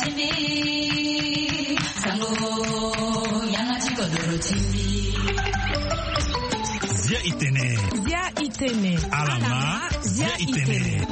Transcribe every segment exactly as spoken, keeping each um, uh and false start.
Zia itene. Zia itene. Alama. Zia itene.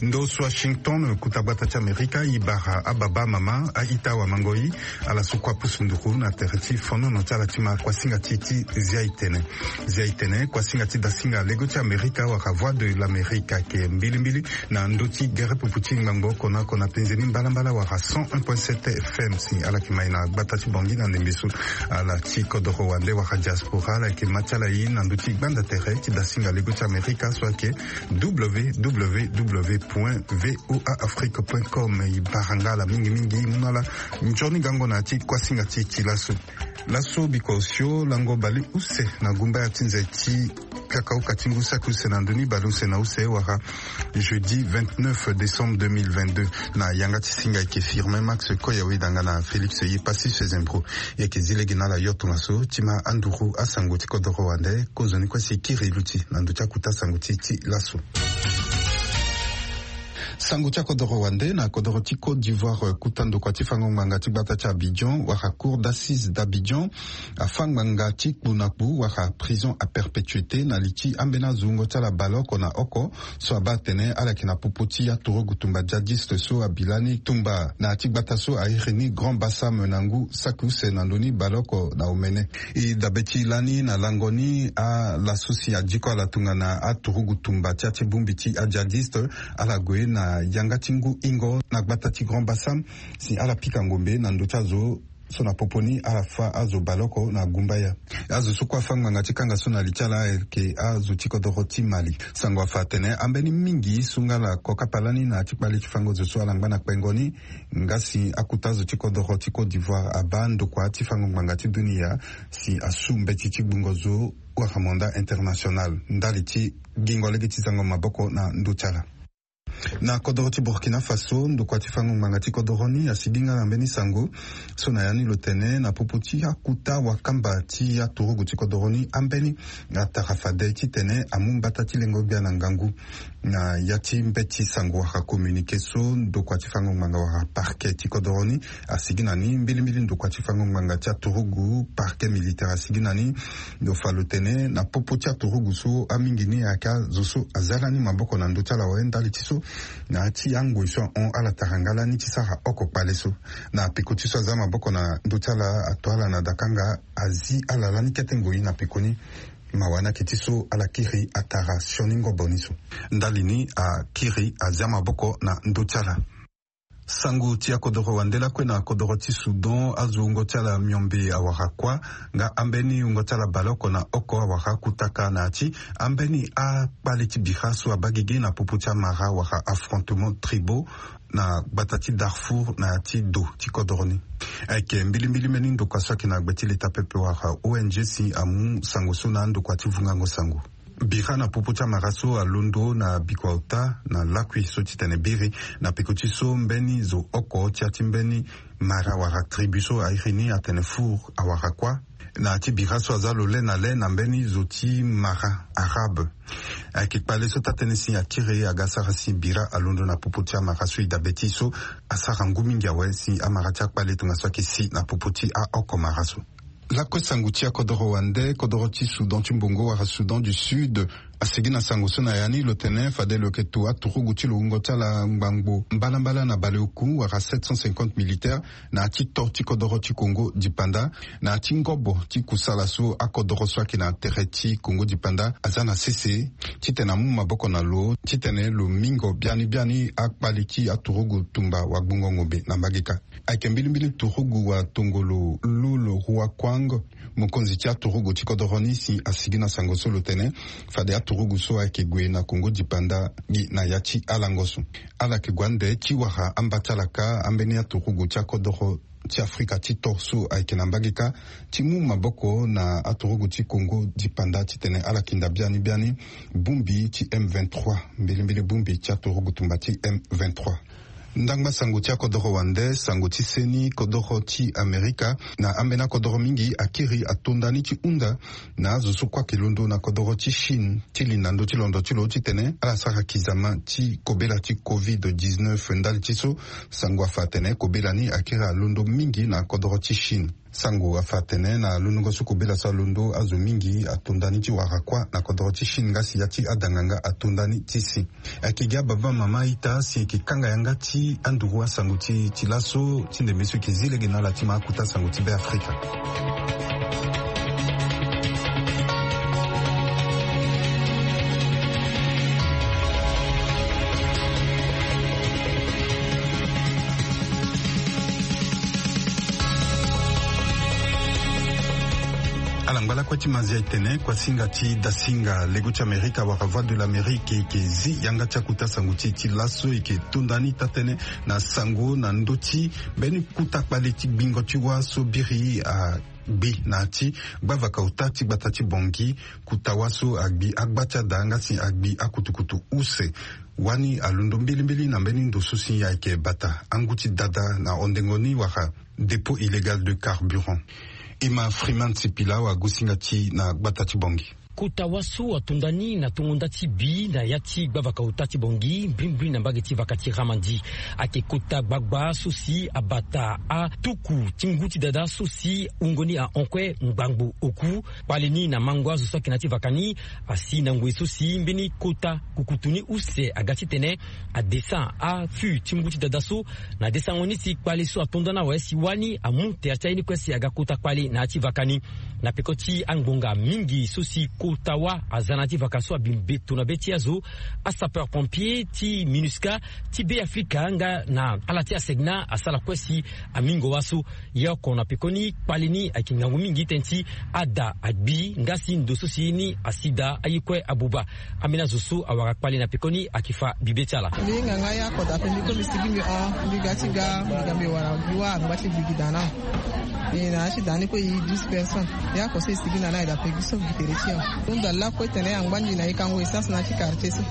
Ndo so Washington, kuta gbata ti Amerika, i bara ababa, amama, a-ita, awamangoi, ala so kue apusu nduru na tere ti fonono ti ala ti ma kuasinga ti ti Zia itene. Zia itene, kuasinga ti dasinga lego ti Amerika wala Voix de l'Amérique, ayeke mbilimbili na ndö ti gere pupu ti ngbangbo oko na oko na penze ni mbalambala wala cent un point sept F M. Si ala yeke mai na gbata ti Bangui na ndembe so, ala ti kodoro wande wala diaspora, ala yeke ma ti ala ye na ndö ti gbanda tere ti dasinga lego ti Amerika so ayeke W W W point V O A Afrique point com. I bara nga ala mingi mingi, i mu na ala nzoni gango na ya ti kuasinga ti e ti laso. Laso bikua osio lango bale use na gumbaya ti nze ti kakaoka ti ngu saki use na ndö ni bale use na use wala jeudi vingt-neuf décembre deux mille vingt-deux, na yanga ti singa ayeke Firmin Max Koya, weda nga na Félix Yepassis Sezembro. E yeke zi lege na ala yo tongaso ti ma anduru asango ti kodoro wande. Kozoni kue si e kiri luti na ndö ti akuta sango ti e ti laso. Sango ti akodoro wande na kodoro ti Côte d'Ivoire, eh, kuta ndokua ti fango ngbanga ti gbata ti Abidjan wala Cour d'assises d'Abidjan afa ngbanga ti kpu na kpu wala prison à perpétuité na li ti ambeni azo wungo ti ala baleoko na oko so abaa atene ala yeke na popo ti aturugu tumba djihadiste so abi lani tumba na ya ti gbata so a iri ni Grand Bassam na ngu saki use na ndö ni baleoko na omene. E dabe ti lani na lango ni ala so si adiko ala tongana aturugu tumba ti ya ti bongbi ti adjihadiste, ala gue na yanga ti ngu hingo na gbata ti Grand Bassam si ala pika ngombe na ndö ti azo so na popo ni ala fa azo baleoko na gumbaya. Azo so kue afa ngbanga ti kanga so na li ti ala ayeke azo ti kodoro ti Mali. Sango afa atene ambeni mingi so nga ala kokapa lani na ya ti kpale ti fango zo so ala ngba na kpengo ni, nga si akuta azo ti kodoro ti Côte d'Ivoire abaa ndokua ti fango ngbanga ti dunia si asu mbeti ti gbungo zo wala mandat international ndali ti gingo lege ti zango maboko na ndö ti ala. Na kodoro ti Burkina Faso, ndokua ti fango ngbanga ti kodoro ni asigi nga na mbeni sango so na ya ni lo tene na popo ti akuta wakamba ti aturugu ti kodoro ni ambeni atara fade titene amu mbata ti lengo gbia na ngangu. Na ya ti mbeti sango wala communiqué so ndokua ti fango ngbanga wala parquet ti kodoro ni asigi na ni, mbilimbili ndokua ti fango ngbanga ti aturugu, parquet militaire, asigi na ni. Lo fa lo tene na popo ti aturugu so amingi ni ayeke azo so aza lani maboko na ndö ti ala awe ndali ti so na ya ti angoi so ahon ala tara nga lani ti sara oko kpale so. Na peko ti so aza maboko na ndö ti ala ato ala na dakanga, azi ala lani kete ngoi na peko ni. Mawa ni ayeke ti so ala kiri atara sioni ngobo ni so. Ndali ni akiri azia maboko na ndö ti ala. Sango ti akodoro wande lakue na kodoro ti Soudan, azo wungo ti ala miombe awara kuâ, nga ambeni wungo ti ala baleoko na oko awara kutaka na ya ti ambeni akpale ti bira so abaa gigi na popo ti amara wala affrontements tribaux na gbata ti Darfour na ya ti do ti kodoro ni. Ayeke mbilimbili mbeni ndokua so ayeke na gbe ti leta pepe wala O N G si amu sango so na andokua ti vungango sango. Bira na popo ti amara so alondo na bikua ota na lakui so titene biri, na peko ti so mbeni zo oko ti ya ti mbeni mara wala tribu so a iri ni atene Four awara kuâ. Na ya ti bira so aza lo le na le na mbeni zo ti mara arabe. Ayeke kpale so taa-tënë si akiri aga asara si bira alondo na popo ti amara so e dabe ti e so asara ngu mingi awe si amara ti akpale tongaso ayeke si na popo ti aoko mara so. Lakue sango ti akodoro wande, kodoro ti Soudan ti mbongo wala Soudan du Sud asigi na sango so na ya ni lo tene fade lo yeke to aturugu ti lo wungo ti ala ngbangbo mbalambala na baleoku wala sept cent cinquante militaires na ya ti to ti kodoro ti Congo dipanda, na ya ti ngobo ti kusala so akodoro so ayeke na tere ti Congo dipanda aza na sese titene amu maboko na lo titene lo mingo biani biani akpale ti aturugu tumba wagbongo ngombe na mbageka. Ayeke mbilimbili turugu wa tongolo Lul Ruakuang, mokonzi ti aturugu ti kodoro ni si asigi na sango so lo tene fade aturugu so ayeke gue na Congo dipanda gi na ya ti alango so. Ala yeke gue ande ti wara amba ti ala kâ ambeni aturugu ti akodoro ti Afrika ti to so ayeke na mbageka ti mu maboko na aturugu ti Congo dipanda titene ala kinda biani biani bongbi ti M vingt-trois, mbilimbili bongbi ti aturugu tumba ti M vingt-trois. Ndangba sango ti akodoro wande, sango ti seni, kodoro ti Amerika, na ambeni akodoro mingi akiri atonda ni ti hunda na azo so kue ayeke londo na kodoro ti Chine ti li na ndö ti londo ti lo titene ala sara kizama ti kobela ti covid dix-neuf. Ndali ti so, sango afa atene kobela ni akiri alondo mingi na kodoro ti Chine. Sango afa atene na londongo so kobela so alondo, azo mingi atonda ni ti wara kuâ na kodoro ti Chine, nga si ya ti adanganga atonda ni ti si. Ayeke gi ababa mama a-ita si e yeke kanga yanga ti anduru asango ti, ti laso ti ndembe so e yeke zi lege na ala ti ma akota sango ti Be Afrika. Ala ngba lakue ti mazia e tene kuasinga ti dasinga lego ti Amerika wala Voix de l'Amérique e yeke zi yanga ti akota sango ti e ti laso e yeke tonda ni taa-tënë na sango na ndö ti mbeni kota kpale ti gbingo ti wâ so biri agbi na ya ti gbavaka ota ti gbata ti Bangui. Kota wâ so agbi agba ti ada nga si agbi akutukutu use. Wani alondo mbilimbili na mbeni ndo so si ayeke bata angu ti dada na hondengo ni wala dépôt illégal de carburant. Emma Freeman Sipila, wagosinga ti na gbata ti Bangui. Kota wâ so atonda ni na tongo nda ti bi na ya ti gbavaka ota ti Bangui, mbrimbri na mbage ti vaka ti Ramadi. Ayeke kota gbagba so si abata atuku ti ngu ti dada so si wungo ni ahon kue ngbangbo oku. Kpale ni na mango azo so ayeke na ya ti vaka ni asi na ngoi so si mbeni kota kukutu ni use aga titene adescend afût ti ngu ti dada so. Na desango ni si kpale so atonda ni awe si wani amu tere ti aye ni kue si aga kota kpale na ya ti vaka ni. Na peko ti angbonga mingi so si kota wâ aza na ya ti vaka so abi mbeto na be ti azo, asapeur pompier ti MINUSCA ti Be Afrika nga na ala ti ASECNA asara kue si amingo wâ so. Ye oko na pekoni kpale ni ayeke ngangu mingi tënë ti ada agbi nga si ndo so si ye ni asi daa aye kue abuba. Ambeni azo so awara kpale na pekoni ayeke fa bibe ti ala. Mbi hinga nga ye oko daa ape mbi kue mbi sigi mbi hon mbi ga ti ga mbi ga mbi wara gi wâ angba ti gbi gi daa na. E na ya ti daa ni kue e douze personnes. Ye oko so e sigi na ni aye daa ape gi so gi tere ti e. Hunda lakue tene angba mbi na e kango essence na ya ti quartier so.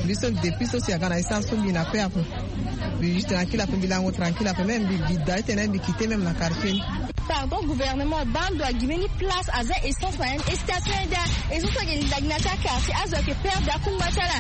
Mbi so depuis so si aga na essence so mbi na paix ape. Mbi juste tranquille ape mbi lango tranquille ape même mbi gi daa ti tene mbi quitter même na quartier ni. Pardon, gouvernement baa ndo agi mbeni place aza essence na ya ni, station eda. Essence so ayeke linda gi na ya ti aquartier azo ayeke perdre akungba ti ala.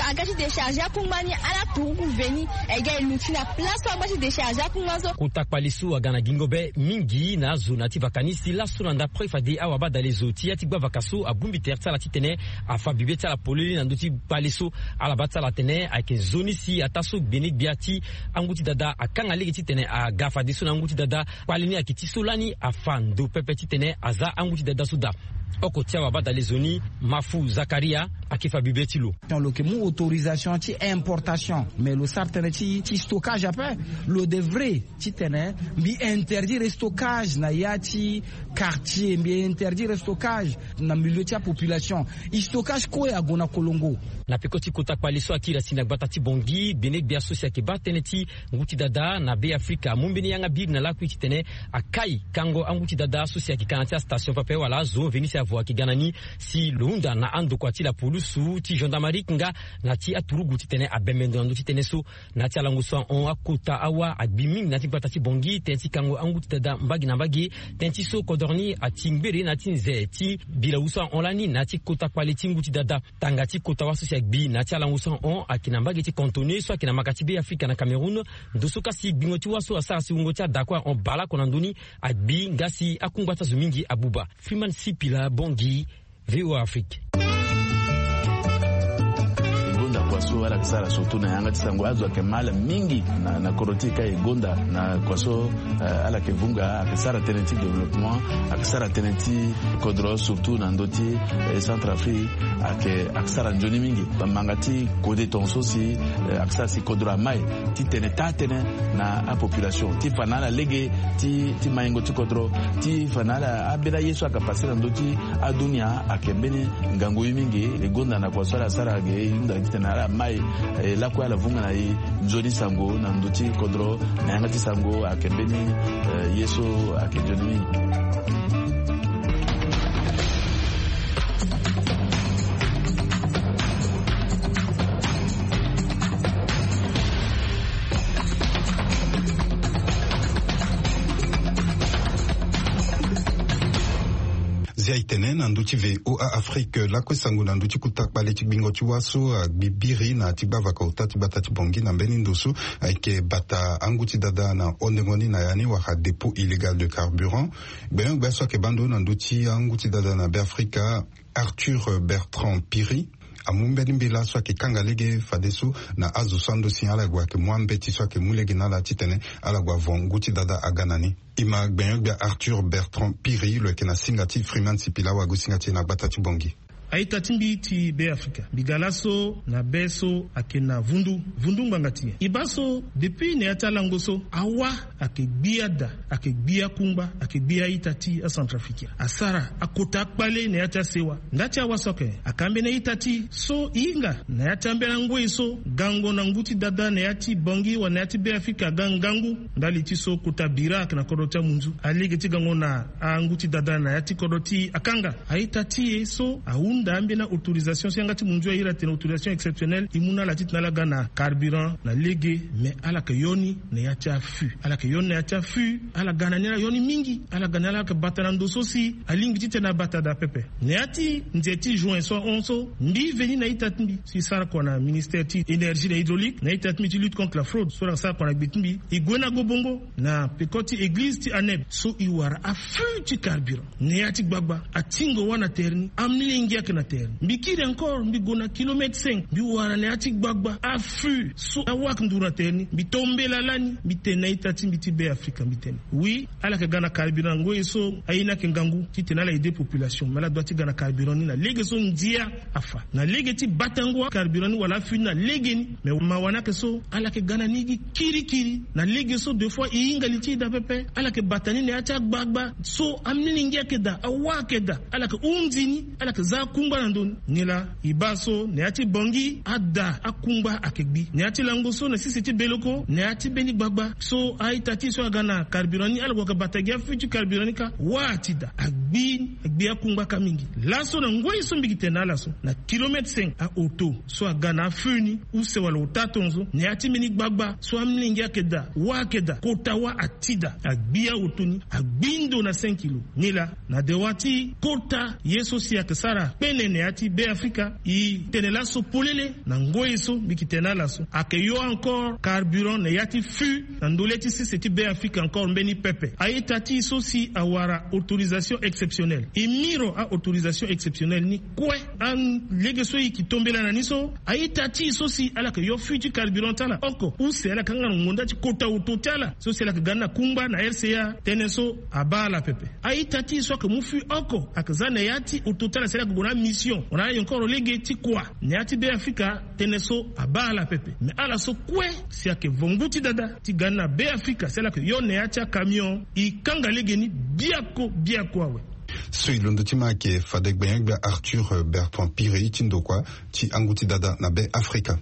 Aga ti décharger akungba ni ala turuku veni. E ga e luti na place so agba ti décharger akungba so. Kota kpale so aga na gingo be mingi na azo na ya ti vaka ni si laso na ndapre fade awabadale zo ti ya ti gbavaka so abongbi tere ti ala titene afa bibe ti ala polele na ndö ti kpale so. Ala baa ti ala atene ayeke nzoni si ataa so gbenegbia ti angu ti dada akanga lege titene aga fadeso na angu ti dada. Kpale ni ayeke ti so lani afa ndo pepe titene aza angu ti dada so daa. Oko ti awabadale zo ni Mafu Zakaria ayeke fa bibe ti lo. Lo yeke mu autorisation ti importation mais lo sara tënë ti ti stockage ape. Lo devrait titene mbi interdire stockage na ya ti quartier mbi interdire stockage na milieu ti apopulation. E stockage kue ague na kolongo. Na peko ti kota kpale so akiri asi na gbata ti Bangui gbenegbia so si ayeke baa tënë ti ngu ti dada na Be Afrika amu mbeni yanga biri na lakui titene akai kango angu ti dada so si ayeke ka na ya ti astation pepe wala azo veni si avo ayeke ga na ni. Si lo hunda na andokua ti lapulusu ti gendarmerie nga na ya ti aturugu titene abembe ndo na ndö ti tënë so. Na ya ti alango so ahon akota awa agbi mingi na ya ti gbata ti Bangui tënë ti kango angu ti dada mbage na mbage. Tënë ti so kodoro ni ati ngbere na ya ti nze ti bilawu so ahon lani na ya ti kota kpale ti ngu ti dada. Tanga ti kota wâ so si agbi na ya ti alango so ahon ayeke na mbage ti Kantoné so ayeke na maka ti Be Afrika na Cameroun. Ndo so ka si gbingo ti wâ so asara si wungo ti ada kue ahon baleoko na ndö ni agbi nga si akungba ti azo mingi abuba. Freeman Sipila Bangui, VOA Afrique. E gonda kua so ala yeke sara surtout na yanga ti sango azo ayeke ma ala mingi na, na kodro ti e ka e gonda na kua so, eh, ala yeke vunga ayeke sara tënë ti développement, ayeke sara tënë ti kodro surtout na ndö ti, eh, Centrafrique. Ayeke, ayeke sara nzoni mingi. Bamanga ti kode tongaso si, eh, ayeke sara si kodro amai titene taa tënë na apopulation ti fa na ala lege ti, ti maingo ti kodro, ti fa na ala ambeni aye so ayeke pase na ndö ti adunia ayeke mbeni ngangu ye mingi. E gonda na kua so ala sara ge e hunda titene ala mai, eh, lakue ala vunga na e nzoni sango na ndö ti kodro. Na yanga ti sango ayeke mbeni, eh, ye so ayeke nzoni mingi. Na ndö ti VOA Afrique lakue sango na ndö ti kota kpale ti gbingo ti wâ so agbi biri na ya ti gbavaka ota ti gbata ti Bangui na mbeni ndo so ayeke bata angu ti dada na hondengo ni na ya ni wala dépôt illégal de carburant. Gbenyo-gbia so ayeke baa ndo na ndö ti angu ti dada na Beafrika, Arthur Bertrand Piri, amu mbeni mbela so ayeke kanga lege fadeso na azo so ando si ala gue ayeke mu ambeti so ayeke mu lege na ala titene ala gue avo ngu ti dada aga na ni. E ma gbenyo-gbia Arthur Bertrand Piri lo yeke na singa ti Freeman Sipila, wagosinga ti e na gbata ti Bangui. A-ita ti mbi ti Beafrika, mbi ga laso na be so ayeke na vundu, vundu ngbanga ti nyen? E baa so depuis na ya ti alango so, awâ ayeke gbi ada, ayeke gbi akungba, ayeke gbi a-ita ti aCentrafricain. Asara akota akpale na ya ti asewa. Nda ti awâ so ayeke, ayeke ambeni a-ita ti e so e hinga na ya ti ambeni angoi so gango na ngu ti dada na ya ti Bangui wala na ya ti Beafrika aga ngangu. Ndali ti so kota bira ayeke na kodro ti amunzu, alege ti gango na angu ti dada na ya ti kodro ti e akanga. A-ita ti e so ahunda ambeni autorisation so yanga ti munzu airi atene autorisation exceptionnelle, e mu na ala titene ala ga na carburant na lege. Mais ala yeke yo ni na ya ti afût, ala yeke yo ni na ya ti afût. Ala ga na ni, ala yo ni mingi. Ala ga na ni, ala yeke bata na ndo so si alingbi titene abata daa pepe. Na ya ti nze ti juin so ahon so, mbi veni na a-ita ti mbi si sara kua na ministère ti énergie na hydraulique, na a-ita ti mbi ti lutte contre la fraude so ala sara kua na gbe ti mbi, e gue na Gobongo na peko ti église ti Aneb so e wara afût ti carburant na ya ti gbagba. Atingo wâ na tere ni, amolenge ayeke na tere ni. Mbi kiri encore, mbi gue na kilomètre cinq, mbi wara na ya ti gbagba afût so awâ ayeke nduru na tere ni. Mbi to mbela lani, mbi tene na a-ita ti mbi ti Beafrika, mbi tene oui, ala yeke ga na carburant ngoi so aye ni ayeke ngangu titene ala aider population, mais ala doit ti ga na carburant ni na lege so ndia afa. Na lege ti batango carburant ni wala afût ni na legeni. Mais mawa ni ayeke so ala yeke ga na ni gi kirikiri. Na lege so deux fois e hinga li ti e daa pepe. Ala yeke bata ni na ya ti agbagba so amolenge ayeke daa, awâ ayeke daa. Ala yeke hunzi ni, ala yeke zia akungba na ndö ni. Nilaa e baa so na ya ti Bangui ada akungba ayeke gbi. Na ya ti lango so na sese ti Beleko, na ya ti mbeni gbagba so a-ita ti e so aga na carburant ni, ala gue ayeke bata gi afût ti carburant ni kâ, wâ ati daa, agbi, agbi akungba kâ mingi. Laso na ngoi so mbi yeke tene na ala so, na kilomètre cinq, aoto so aga na afût ni, use wala ota tonzo, na ya ti mbeni gbagba so amolenge ayeke daa, wâ ayeke daa, kota wâ ati daa, agbi aoto ni, agbi ndo na cinq kilo. Nilaa na dewa ti kota ye so si ayeke sara kpene na ya ti Beafrika, e tene laso polele na ngoi so mbi yeke tene na ala so, ayeke yo encore carburant na ya ti fût na ndö lê ti sese ti Beafrika encore mbeni pepe. A-ita ti e so si awara autorisation exceptionnelle, e miro a-autorisation exceptionnelle ni kue. Alege so e yeke to mbela na ni so, a-ita ti e so si ala yeke yo fût ti carburant ti ala oko, use ala yeke hanga na ngonda ti kota oto ti ala so si ala yeke ga ni na kungba na R C A, tënë so abaa ala pepe. A-ita ti e so ayeke mu fût oko ayeke za na ya ti oto ti ala si ala yeke gue na amission wala ayonkoro lege ti kua na ya ti Beafrika, tënë so abaa ala pepe. Me ala so kue si ayeke vo ngu ti dada ti ga ni na Beafrika si ala yeke yo na ya ti akamion, e kanga legeni biako biako awe. So e londo ti ma ayeke fade gbenyo-gbia Arthur Bertrand Piri ti ndokua ti angu ti dada na Beafrika.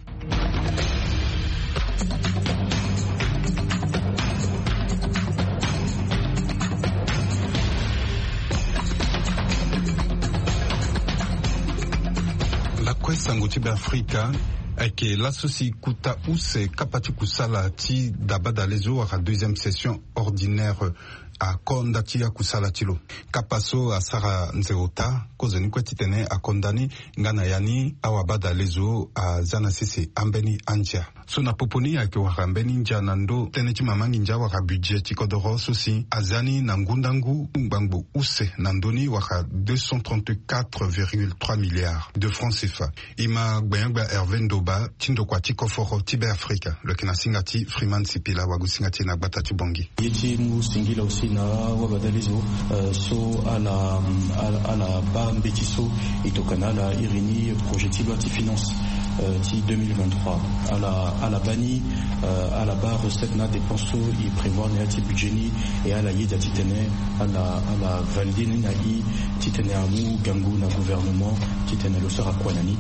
Lakue sango ti Beafrika. Ayeke laso si kota use kapa ti kusala ti dabadalezo wala deuxième session ordinaire ako nda ti akusala ti lo. Kapa so asara nze ota kozoni kue titene ako nda ni nga na ya ni awabadalezo aza na sese ambeni andia. So na popo ni ayeke wara mbeni ndia na ndö tënë ti mama nginza wala budget ti kodoro so si aza ni na ngu ndangu ngbangbo use na ndö ni wala deux cent trente-quatre virgule trois milliards de francs CFA. E ma gbenyo-gbia Hervé Ndoba ti ndokua ti koforo ti Beafrika, lo yeke na singa ti Freeman Sipila, wagosinga ti e na gbata ti Bangui. Ye ti mu singila aussi na awabadalezo, euh, so ala, ala, ala baa mbeti so e tokua na ala iri ni projet ti loi ti finance, euh, ti deux mille vingt-trois. Ala, ala baa ni, euh, ala baa recette na dépense so e prévoir na ya ti budget ni, e ala yeda titene ala, ala valider ni na e titene amu gango na gouvernement titene lo sara kua na ni.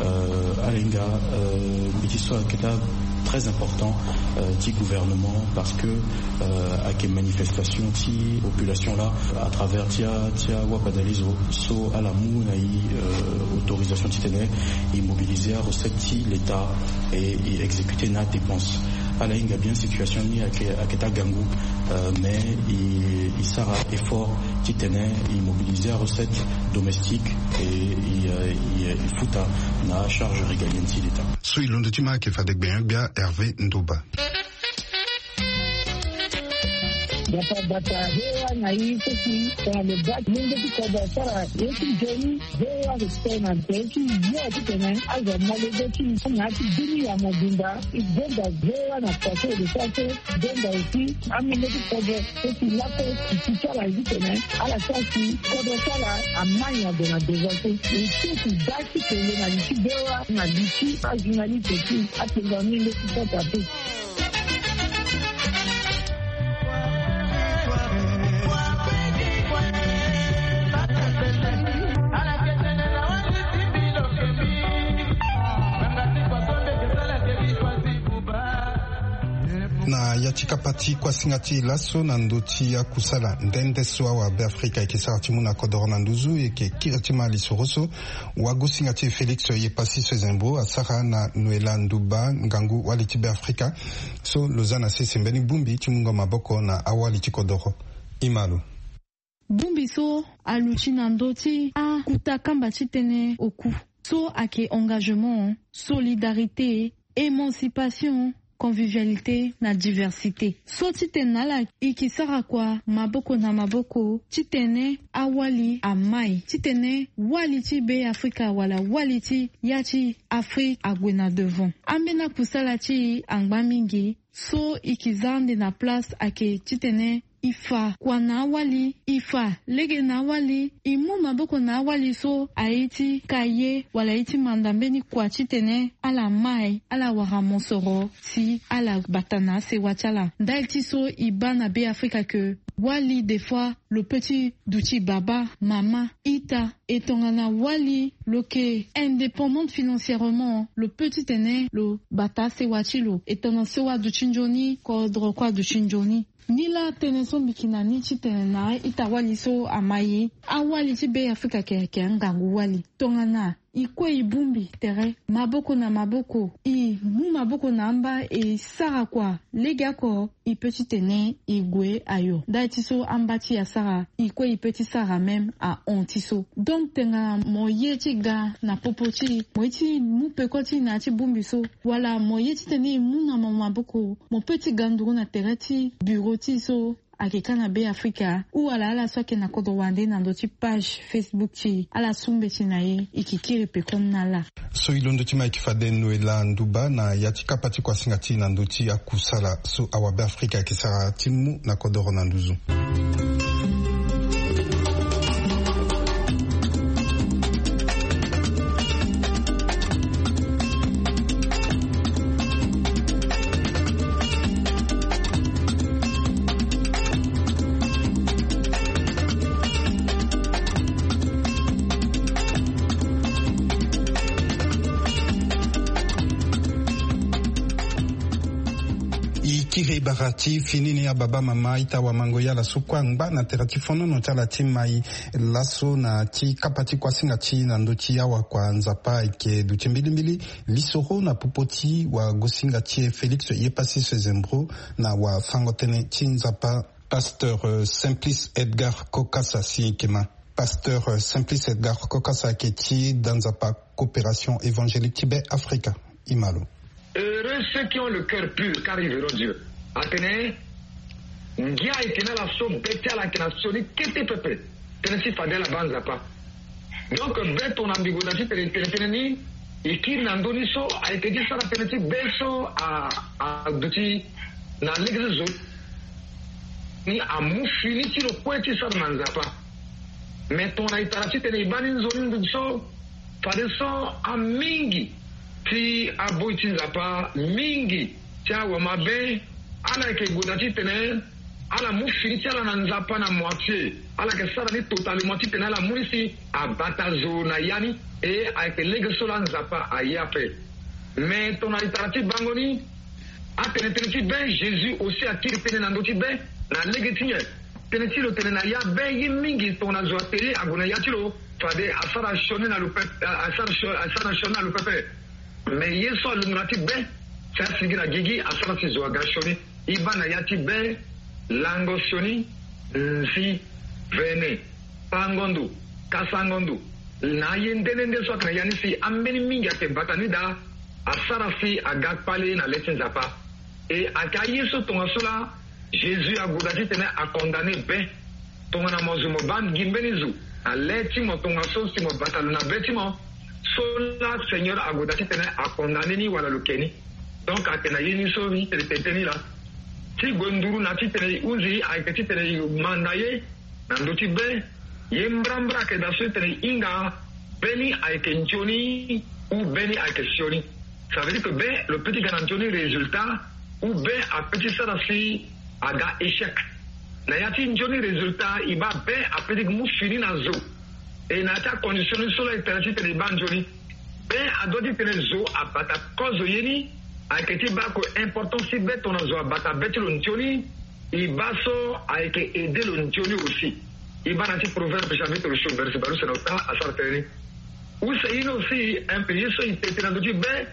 Euh, ala hinga, euh, mbeti so ayeke daa très important, euh, ti gouvernement parce que, euh, ayeke manifestation ti population laa à travers ti a, ti awabadalezo so ala mu na e, euh, autorisation titene e mobiliser arecette ti l'État et e exécuter na dépense. Ala hinga bien situation ni ayeke, ayeke ti agangu. Euh, mais e, e sara effort titene e mobiliser arecette domestique et e, e, e futa na charge régalienne ti l'état. So e londo ti ma ayeke fade gbenyo-gbia Hervé Ndoba. Bata bata, V O A na e so si tongana lo baa ti lenge ti kodro asara ye ti nzoni, V O A ayeke tene na tere ti yo titene azo amolenge ti e na ya ti dunia mobimba. E gonda V O A na kua so e lo sara so, e gonda aussi amolenge ti kodro so si lakue e si ti ala titene ala sara si kodro ti ala amai ague na devant so. E ti e si baa ti kele na li ti V O A na li ti ajournaliste ti atengo amolenge ti Centrafrique. Na ya ti kapa ti kuasinga ti e laso na ndö ti akusala nde nde so awabe afrika ayeke sara ti mu na kodoro na nduzu, e yeke kiri ti ma lisoro so wagosinga ti e Félix Yepasi Sezembro asara na noela nduba ngangu wali ti Beafrika so lo za na sese mbeni bongbi ti mungo maboko na awali ti kodoro. E ma lo. Bongbi so aluti na ndö ti akuta kamba ti tënë oku so ayeke engagement, solidarité, émancipation, convivialité na diversité. So titene na ala e ke sara kua maboko na maboko titene awali amai, titene wali ti Beafrika wala wali ti ya ti Afrique ague na devant. Ambeni akusala ti e angba mingi. So e ke za ande na place ayeke titene e fa kua na awali, e fa lege na awali, e mu maboko na awali so aye ti kaye wala aye ti manda mbeni kua titene ala mai, ala wara mosoro si ala bata na asewa ti ala. Ndali ti so e baa na Beafrika ke wali des fois lo peut ti duti baba, mama, ita. E tongana wali lo yeke indépendante financièrement, lo peut titene lo bata asewa ti lo. E tongana so aduti nzoni, kodro kue aduti nzoni. Nilaa tënë so mbi yeke na ni titene na a-ita wali so amai, awali ti Beafrika ayeke, ayeke angangu wali. Tongana e kue e bongbi tere maboko na maboko, e mu maboko na amba, e sara kua legeoko, e peut titene e gue ayo. Ndali ti so amba ti e asara, e kue e peut ti sara même ahon ti so. Donc tongana mo ye ti ga na popo ti e, mo ye ti mu peko ti e na ya ti bongbi so, wala mo ye titene e mu na mo maboko, mo peut ti ga nduru na tere ti bureau ti e so ayeke ka na Beafrika, ou wala ala so ayeke na kodro wande na ndö ti page Facebook ti e, ala su mbeti na e, e yeke kiri peko ni na ala. So e londo ti ma ayeke fade noela nduba na ya ti kapa ti kuasinga ti e na ndö ti akusala so awabe afrika ayeke sara ti mu na kodoro na nduzu. E kiri bara ti fini ni, ababa, mama, ita, wamango, yala so kue angba na tere ti fonono ti ala ti mai laso na ti kapa ti kuasinga ti na ndö ti awakua Nzapa ayeke duti mbilimbili. Lisoro na popo ti wagosinga ti e Félix Yepasi Sezembro na wafango-tënë ti Nzapa, pasteur, euh, Simplice Edgar Kokasa si e yeke ma. Pasteur, euh, Simplice Edgar Kokasa ayeke ti da Nzapa Coopération Évangélique ti Be Afrika. E ma lo. Heureux ceux qui ont le cœur pur, car ils verront Dieu. Atene ngia ayeke na ala so be ti ala ayeke na sioni kete pepe, tënë ti fade ala baa Nzapa. Donc be tongana mbi gue na ti tene tene tënë ni, e kiri na ndö ni so ayeke ti sara tënë ti be so a, aduti na lege ti zo ni amu fini ti lo kue ti sara na Nzapa. Me tongana e tara titene e baa ni nzoni nduzu so, fadeso amingi ti aboi ti Nzapa, mingi ti awamabe, ala yeke gue na titene ala mu fini ti ala na Nzapa na moitié. Ala yeke sara ni totalement titene ala mu ni si abata zo na ya ni. E ayeke lege so laa Nzapa aye ape. Me tongana e tara ti bango ni, atene tënë ti be, Jésus aussi akiri tënë na ndö ti be na lege ti nyen? Tënë ti lo tene na ya be ye mingi tongana zo atene ague na ya ti lo, fade asara sioni na lo pepe, asara sio-, asara sioni na lo pepe. Me ye so alungo na ti be, Si asigi na gigi, asara si zo aga sioni. E baa na ya ti be, lango sioni, nzi, vene, pango ndo, kasango ndo, na aye nde nde nde so ayeke na ya ni si ambeni mingi ayeke bata ni daa, asara si aga kpale na le ti Nzapa. E ayeke aye so tongaso laa Jésus ague daa titene acondamne be. Tongana mo zo mo baa gi mbeni zo na le ti mo tongaso si mo bata lo na be ti mo, so laa Seigneur ague daa titene acondamne ni wala lo ke ni. Donc ayeke na ye ni so e tene tene ni laa. Ti gue nduru na titene e hunzi ayeke titene e manda ye na ndö ti be. Ye mbrambra ayeke daa so e tene e hinga be ni ayeke nzoni ou be ni ayeke sioni. Ça veut dire que be lo peut ti ga na nzoni résultat ou be apeut ti sara si aga échec. Na ya ti nzoni résultat e baa be apeut ti mu fini na zo. E na ya ti acondition ni so laa e tene titene e baa nzoni. Be adoit titene zo abata kozo ye ni. Ayeke ti baa ko importance ti be tongana zo abata be ti lo nzoni. E baa so ayeke aidé lo nzoni aussi. E baa na ya ti Proverbe chapitre sio verset bale use na ota asara tënë ni. Use ye ni aussi un peu ye so e tene tene na ndö ti be.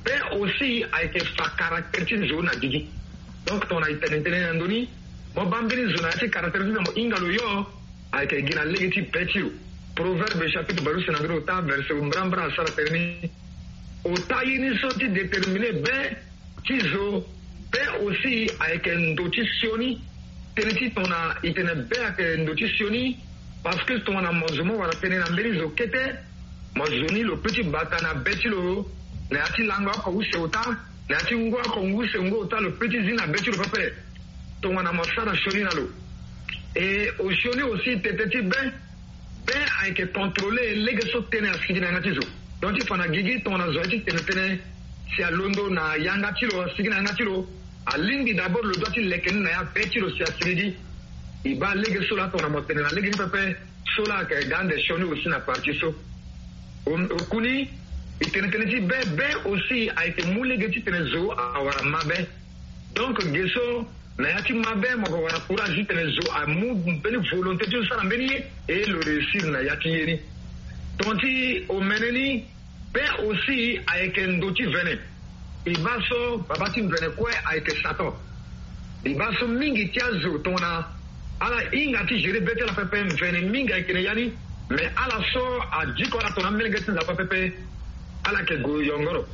Be aussi ayeke fa caractère ti zo na gigi. Donc tongana e tene tënë na ndö ni, mo baa mbeni zo na ya ti caractère ti na mo hinga lo yo. Ayeke gi na lege ti be ti lo. Proverbe chapitre bale use na ndö ni ota verset mbrambra asara tënë ni. Ota ye ni so ti déterminer be ti zo. Be aussi ayeke ndo ti sioni. Tënë ti tongana e tene be ayeke ndo ti sioni. Parce que tongana mo zo mo wara tënë na mbeni zo kete, mo zo ni lo peut ti bata na be ti lo na ya ti lango oko use ota, na ya ti ngu oko ngu use ngu ota lo peut ti zi na be ti lo pepe. Tongana mo sara sioni na lo. E osioni aussi tete ti be. Be ayeke contrôler lege so tënë asigi na yanga ti zo. Donc ti fa na gigi tongana zo aye ti tene tënë si alondo na yanga ti lo asigi na yanga ti lo, alingbi d'abord lo doit ti leke ni na ya be ti lo si asigi gi. E baa lege so laa tongana mo tene na lege ni pepe. So laa ayeke ga ande sioni aussi na partie so. Okuni e tene tënë ti be, be aussi ayeke mu lege ti tene zo awara mabe. Donc ge so na ya ti mabe mo ke wara courage ti tene zo amu mbeni volonté ti lo sara mbeni ye. E lo réussir na ya ti ye ni. Ton ti omene ni, be aussi ayeke ndo ti vene. E baa so baba ti mvene kue ayeke Satan. E baa so mingi ti azo tongana ala hinga ti gérer be ti ala pepe, mvene mingi ayeke na ya ni. Mais ala so adiko ala tongana amelenge ti Nzapa pepe, ala yeke gue yongoro.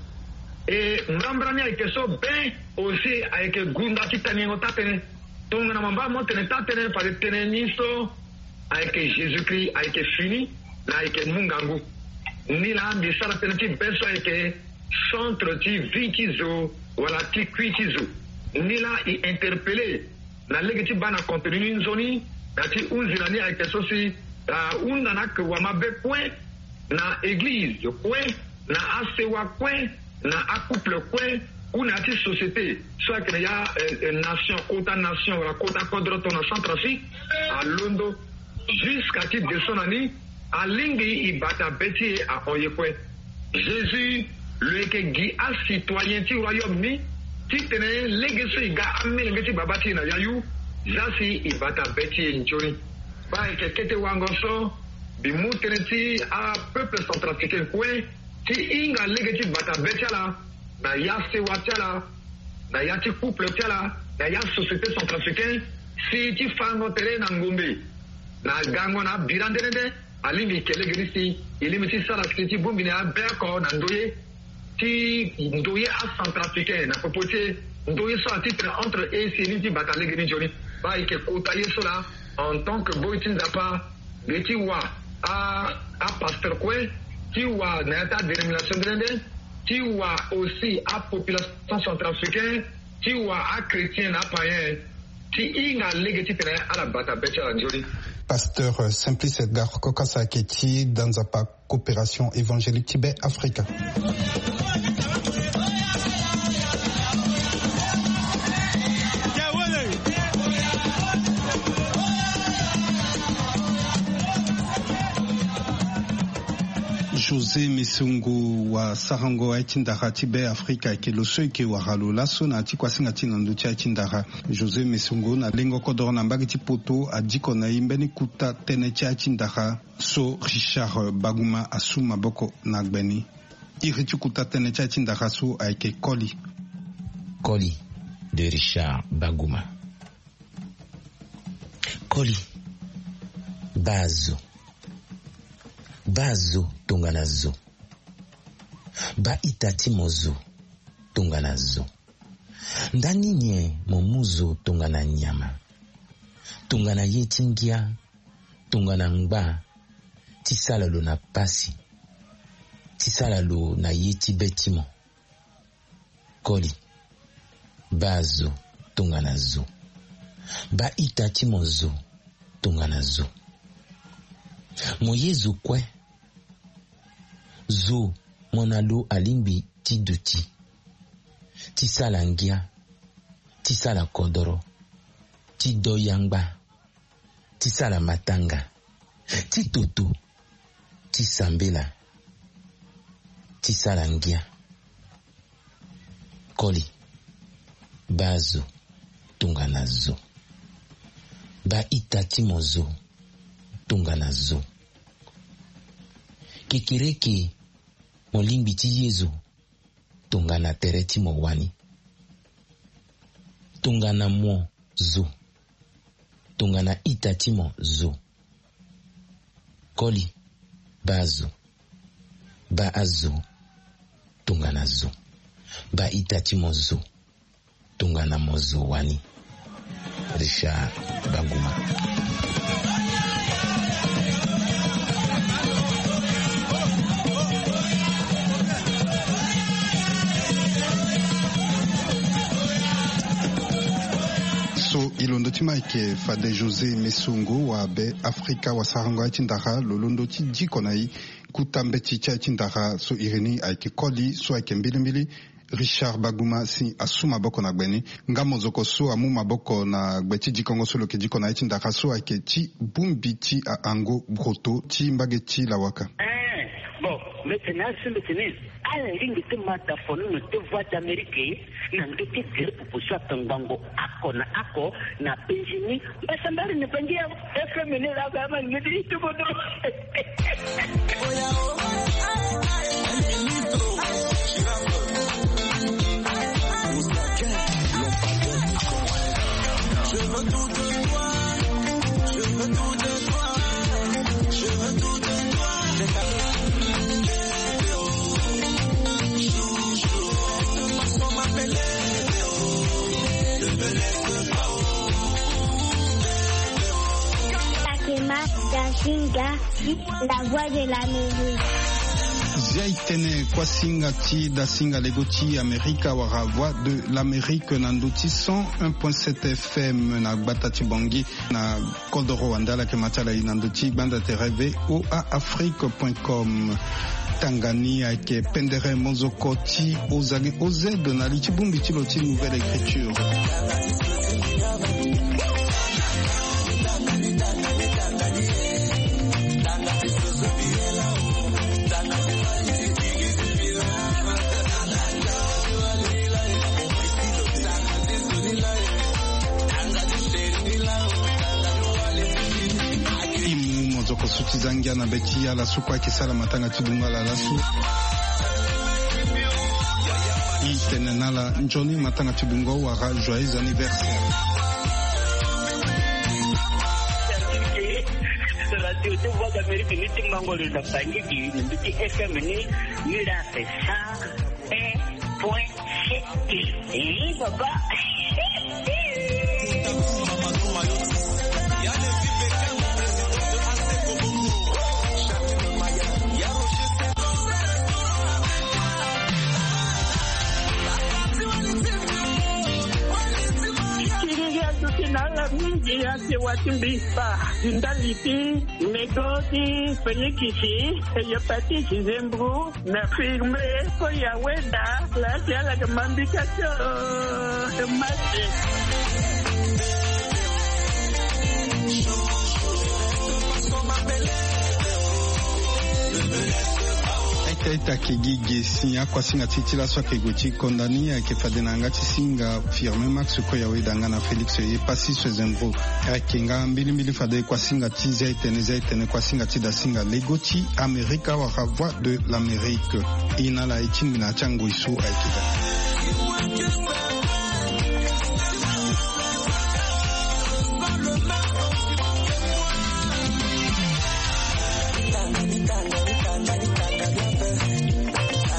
E mbrambra ni ayeke so be aussi ayeke gunda ti taniengo taa-tënë. Tongana mo baa mo tene taa-tënë fade tënë ni so ayeke Jésus-Christ ayeke fini, na ayeke mu ngangu. Ni laa mbi sara tënë ti be so ayeke centre ti vie ti zo wala ti kui ti zo. Ni laa e interpeller na lege ti baa na contenu ni nzoni, na ti hunzi na ni ayeke so si ahunda na ake wamabe kue na église kue, na asewa kue, na acouple kue, ou na ya ti société so ayeke na ya, eh, eh, nation, kota nation wala kota kodro tongana Centrafrique, alondo jusqu'à ti descend na ni, alingbi e bata be ti e ahon ye kue. Jésus lo yeke gi acitoyen ti royaume ni, titene lege so e ga amelenge ti baba ti e na yayu, za si e bata be ti e nzoni. Baa ayeke kete wango so mbi mu tënë ti apeuple centrafricain kue ti hinga lege ti bata be ti ala na ya sewa ti ala, na ya ti couple ti ala, na ya société centrafricain, si ti fango tere na ngombe na gango na abira nde nde nde. Alingbi e ke lege ni si e lingbi ti sara si ti bongbi na ya be oko na ndoye, ti ndoye acentrafricain na popo ti e, ndoye so atitre entre e si e ni ti bata lege ni nzoni. Baa e yeke kota ye so laa en tant que boi ti Nzapa, mbi ye ti wa a, apasteur kue, ti wa na ya ti adénomination nde nde nde, ti wa aussi apopulation centrafricain, ti wa achrétien na apaïen, ti hinga lege titene ala bata be ti ala nzoni. Pasteur Simplice Edgar Kokasa ayeke ti da Nzapa Coopération Évangélique ti Be Afrika. José Mesongo, wasarango aye ti ndara ti Be Afrika, ayeke lo so e yeke wara lo laso na ya ti kuasinga ti na ndö ti aye ti ndara. José Mesongo na lengo kodoro na mbage ti poto adiko na e mbeni kuta tënë ti aye ti ndara so Richard Baguma asu maboko na gbe ni. Iri ti kuta tënë ti aye ti ndara so ayeke koli. Koli de Richard Baguma. Koli, baa zo. Baa zo tongana zo. Baa ita ti mo zo tongana zo. Ndani nyen mo mu zo tongana nyama, tongana ye ti ngia, tongana ngba, ti sala lo na pasi, ti sala lo na ye ti be ti mo? Koli, baa zo tongana zo. Baa ita ti mo zo tongana zo. Mo ye zo kue. Zo mo na lo alingbi ti duti, ti sala ngia, ti sala kodoro, ti do yangba, ti sala matanga, ti toto, ti sambela, ti sala ngia. Koli, baa zo tongana zo. Baa ita ti mo zo tongana zo. Kekereke, mo lingbi ti ye zo tongana tere ti mo wani, tongana mo zo, tongana ita ti mo zo. Koli, baa zo. Baa azo tongana zo. Baa ita ti mo zo tongana mo zo wani. Richard Baguma. So e londo ti ma ayeke fade José Mesongo wa be Afrika wa sarango aye ti ndara lo londo ti diko na e. Kuta mbeti ti aye ti ndara so iri ni ayeke koli so ayeke mbilimbili. Richard Baguma si asu maboko na gbe ni. Nga mozoko so amu maboko na gbe ti dikongo so lo yeke diko na aye ti ndara so ayeke ti bongbi ti ahango broto ti mbage ti lawaka. Eh, bon, mbeti na asu mbeti ni. Ala lingbi ti ma dafono na te Voix d'Amérique na ndö ti gere pupu so atongbango oko na oko na penzi ni. Mbasambari na bangi ya F M ni la ba ma ngedi tubodo. Takema Dasinga, la voix de l'Amérique. Zia e tene kuasinga ti Dasinga lego ti Amerika wala Voix de l'Amérique na ndö ti cent un point sept F M na gbata ti Bangui. Na kodoro wande ala yeke ma ti ala e na ndö ti gbanda tere V O A Afrique point com. Tanga ni ayeke pendere mozoko ti ozali O Z na li ti bongbi ti lo ti Nouvelle Écriture. E mu mozoko so ti za ngia na be ti ala so kue ayeke sara matanga ti bungo ala laso. E tene na ala nzoni matanga ti bungo wala joyeux anniversaire. Radio ti Voix d'Amérique ni ti mango lo na Bangui, ni ti F M ni, ni la fait ça. Un point sept. Eh, papa. Kiri ya tuti na ala mingi ya te wati mbi pa. Ndali ti Nego ti Félix, hépatite, Zembro, na firme, ko ya weda, la ti ala ke mambika tio, mate. Aita aita ke gi ge si akuasinga ti ti laso ayeke gue ti konda ni ayeke fade na yanga ti singa Firmin Max Koyaweda nga na Félix Epassis Zembro. Ayeke nga mbilimbili fade kuasinga ti zia etene zia etene kuasinga ti dasinga lego ti Amerika wala Voix de l'Amérique. E na ala e tingbi na ya ti angoi so ayeke daa.